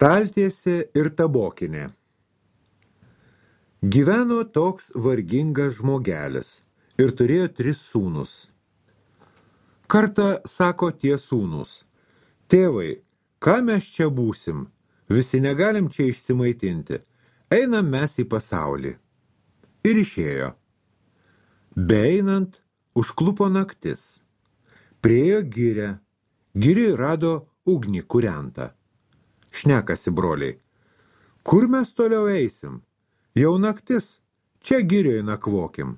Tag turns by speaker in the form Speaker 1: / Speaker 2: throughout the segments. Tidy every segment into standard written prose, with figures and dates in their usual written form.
Speaker 1: Staltiesė ir tabokinė. Gyveno toks vargingas žmogelis ir turėjo 3 sūnus. Kartą sako tie sūnus: tėvai, ką mes čia būsim? Visi negalim čia išsimaitinti. Einam mes į pasaulį. Ir išėjo. Beeinant, užklupo naktis. Priėjo girią. Giriui rado ugnį kūrentą. Šnekasi broliai: kur mes toliau eisim? Jau naktis, čia girioje nakvokim.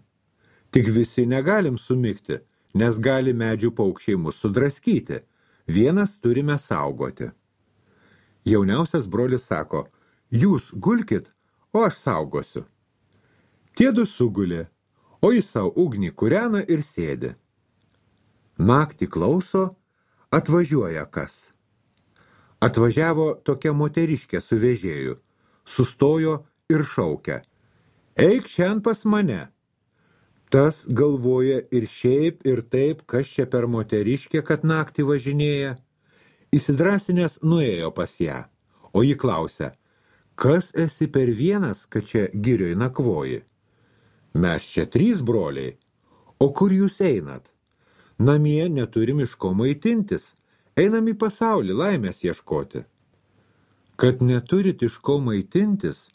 Speaker 1: Tik visi negalim sumigti, nes gali medžių paukščiai mus sudraskyti. Vienas turime saugoti. Jauniausias brolis sako: jūs gulkit, o aš saugosiu. Tiedu sugulė, o jis savo ugnį kūrena ir sėdi. Naktį klauso, atvažiuoja kas. Atvažiavo tokia moteriškė su vežėju, sustojo ir šaukia: eik šiandien pas mane. Tas galvoja ir šiaip ir taip, kas čia per moteriškė, kad naktį važinėja. Įsidrasinęs nuėjo pas ją, o ji klausia: kas esi per vienas, kad čia girioj nakvoji? Mes čia 3 broliai. O kur jūs einat? Namie neturim iš ko maitintis. Einam į pasaulį laimės ieškoti. Kad neturit iš ko maitintis,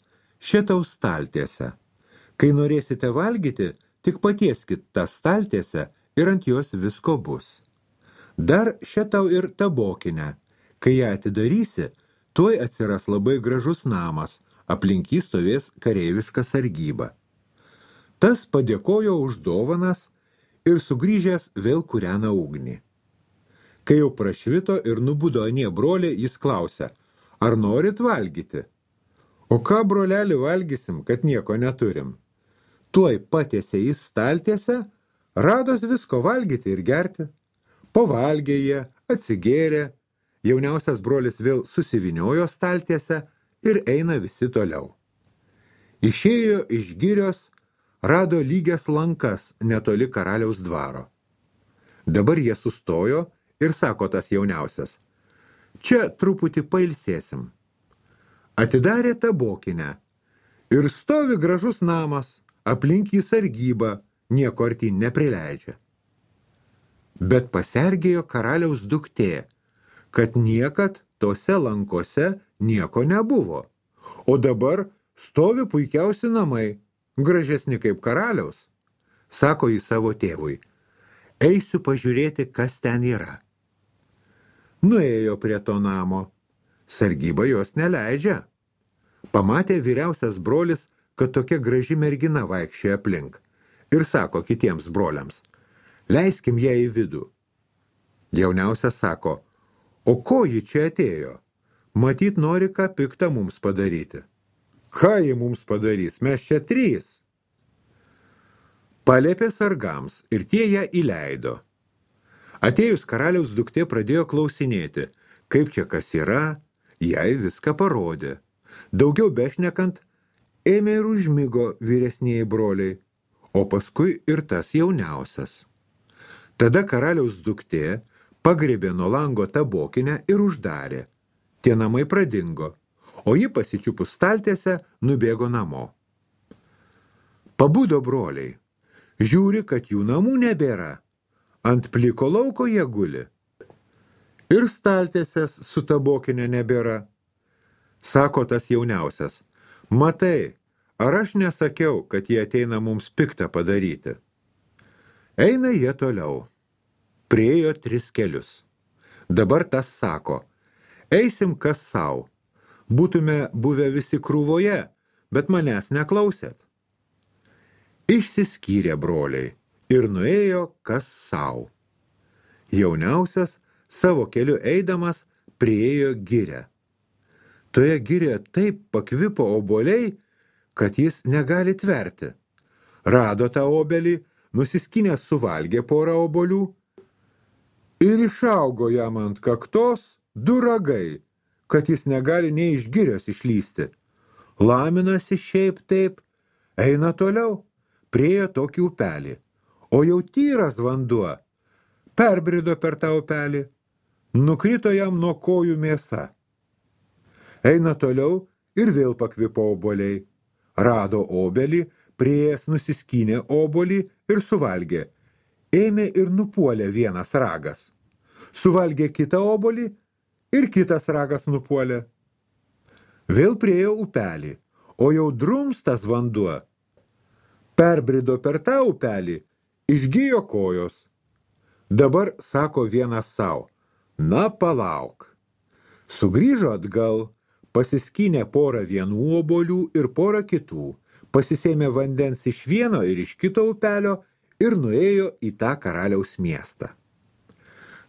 Speaker 1: šitau staltiesę. Kai norėsite valgyti, tik patieskit tą staltiesę ir ant jos visko bus. Dar šitau ir tabokinę. Kai ją atidarysi, tuoj atsiras labai gražus namas, aplink jį stovės kareiviška sargyba. Tas padėkojo už dovanas ir sugrįžęs vėl kūrena ugnį. Kai jau prašvito ir nubudo anie broliai, jis klausia: ar norit valgyti? O ką, broleli, valgysim, kad nieko neturim? Tuoj patiesė į staltiesę, rados visko valgyti ir gerti. Pavalgė jie, atsigėrė, jauniausias brolis vėl susiviniojo staltiesę ir eina visi toliau. Išėjo iš girios, rado lygias lankas netoli karaliaus dvaro. Dabar jie sustojo ir sako tas jauniausias: čia truputį pailsėsim. Atidarė tabokinę ir stovi gražus namas, aplink jį sargyba, nieko artyn neprileidžia. Bet pasergėjo karaliaus duktė, kad niekad tose lankose nieko nebuvo. O dabar stovi puikiausi namai, gražesni kaip karaliaus. Sako jį savo tėvui: eisiu pažiūrėti, kas ten yra. Nuėjo prie to namo. Sargyba jos neleidžia. Pamatė vyriausias brolis, kad tokia graži mergina vaikščioja aplink. Ir sako kitiems broliams: leiskim ją į vidų. Jauniausias sako: o ko ji čia atėjo? Matyt, nori ką piktą mums padaryti. Ką ji mums padarys? Mes čia 3. Paliepė sargams ir tie ją įleido. Atėjus karaliaus duktė pradėjo klausinėti, kaip čia kas yra, jai viską parodė. Daugiau bešnekant, ėmė ir užmigo vyresnieji broliai, o paskui ir tas jauniausias. Tada karaliaus duktė pagriebė nuo lango tabokinę ir uždarė. Tie namai pradingo, o ji pasičiupus staltiesę nubėgo namo. Pabudo broliai. Žiūri, kad jų namų nebėra. Ant pliko lauko jie guli. Ir staltiesės su tabokinė nebėra. Sako tas jauniausias: matai, ar aš nesakiau, kad jie ateina mums piktą padaryti? Eina jie toliau. Priėjo 3 kelius. Dabar tas sako: eisim kas sau. Būtume buvę visi krūvoje, bet manęs neklausėt. Išsiskyrė broliai ir nuėjo kas sau. Jauniausias savo keliu eidamas priėjo girią. Toje girioje taip pakvipo obuoliai, kad jis negali tverti. Rado tą obelį, nusiskinęs suvalgė porą obuolių ir išaugo jam ant kaktos 2 ragai, kad jis negali nei iš girios išlysti. Laminasi šiaip taip, eina toliau, priėjo tokį upelį, o jau tyras vanduo. Perbrido per tą upelį, nukrito jam nuo kojų mėsa. Eina toliau ir vėl pakvipo obuoliai. Rado obelį, priėjęs nusiskynė obuolį ir suvalgė. Ėmė ir nupuolė vienas ragas. Suvalgė kitą obuolį ir kitas ragas nupuolė. Vėl priėjo upelį, o jau drumstas vanduo. Perbrido per tą upelį, išgijo kojos. Dabar sako vienas sau, na palauk. Sugrįžo atgal, pasiskynė porą vienų obuolių ir porą kitų, pasisėmė vandens iš vieno ir iš kito upelio ir nuėjo į tą karaliaus miestą.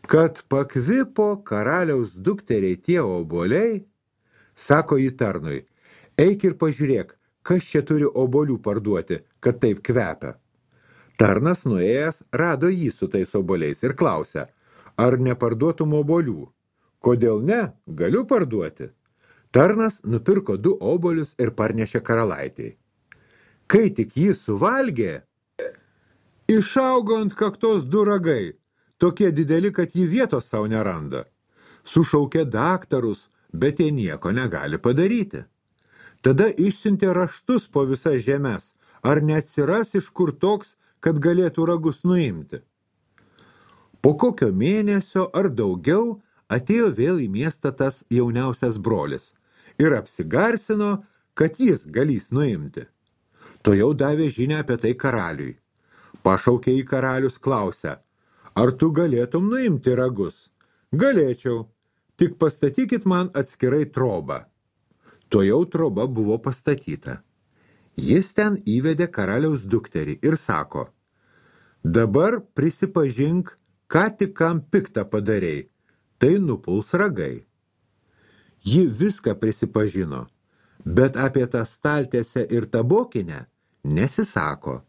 Speaker 1: Kad pakvipo karaliaus dukteriai tie obuoliai, sako į tarnui, eik ir pažiūrėk, kas čia turi obuolių parduoti, kad taip kvepia. Tarnas nuėjęs rado jį su tais obuoliais ir klausia, ar neparduotum obuolių? Kodėl ne? Galiu parduoti. Tarnas nupirko 2 obuolius ir parnešė karalaitei. Kai tik jis suvalgė, išaugo ant kaktos 2 ragai, tokie dideli, kad jį vietos savo neranda. Sušaukė daktarus, bet jie nieko negali padaryti. Tada išsiuntė raštus po visas žemes, ar neatsiras iš kur toks, kad galėtų ragus nuimti. Po kokio mėnesio ar daugiau atėjo vėl į miestą tas jauniausias brolis ir apsigarsino, kad jis galys nuimti. To jau davė žinią apie tai karaliui. Pašaukė į karalius, klausia, ar tu galėtum nuimti ragus? Galėčiau, tik pastatykit man atskirai trobą. To jau troba buvo pastatyta. Jis ten įvedė karaliaus dukterį ir sako, dabar prisipažink, ką tik kam piktą padarei, tai nupuls ragai. Ji viską prisipažino, bet apie tą staltiesę ir tabokinę nesisako.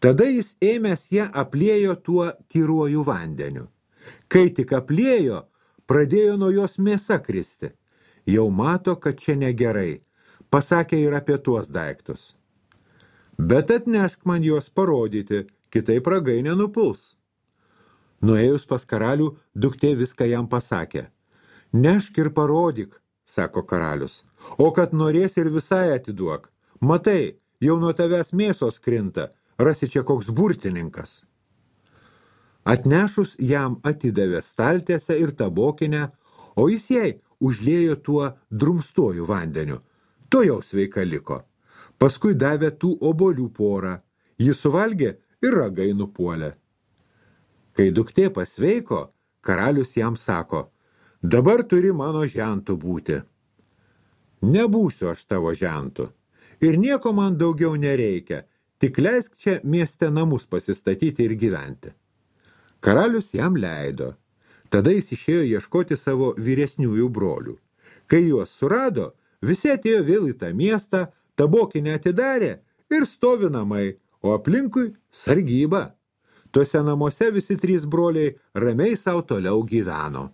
Speaker 1: Tada jis ėmęs ją apliejo tuo tyruoju vandeniu. Kai tik apliejo, pradėjo nuo jos mėsa kristi. Jau mato, kad čia negerai. Pasakė ir apie tuos daiktus. Bet atnešk man juos parodyti, kitaip ragai nenupuls. Nuėjus pas karalių, duktė viską jam pasakė. Nešk ir parodyk, sako karalius, o kad norės ir visai atiduok. Matai, jau nuo tavęs mėsos krinta, rasi čia koks burtininkas. Atnešus jam atidavė staltiesę ir tabokinę, o jis jai užliejo tuo drumstuoju vandeniu. To jau sveika liko. Paskui davė tų obuolių porą. Jis suvalgė ir ragai nupuolė. Kai duktė pasveiko, karalius jam sako, dabar turi mano žentu būti. Nebūsiu aš tavo žentu. Ir nieko man daugiau nereikia, tik leisk čia mieste namus pasistatyti ir gyventi. Karalius jam leido. Tada jis išėjo ieškoti savo vyresniųjų brolių. Kai juos surado, visi atėjo vėl į tą miestą, tabokinę atidarė ir stovi namai, o aplinkui sargyba. Tuose namuose visi 3 broliai ramiai sau toliau gyveno.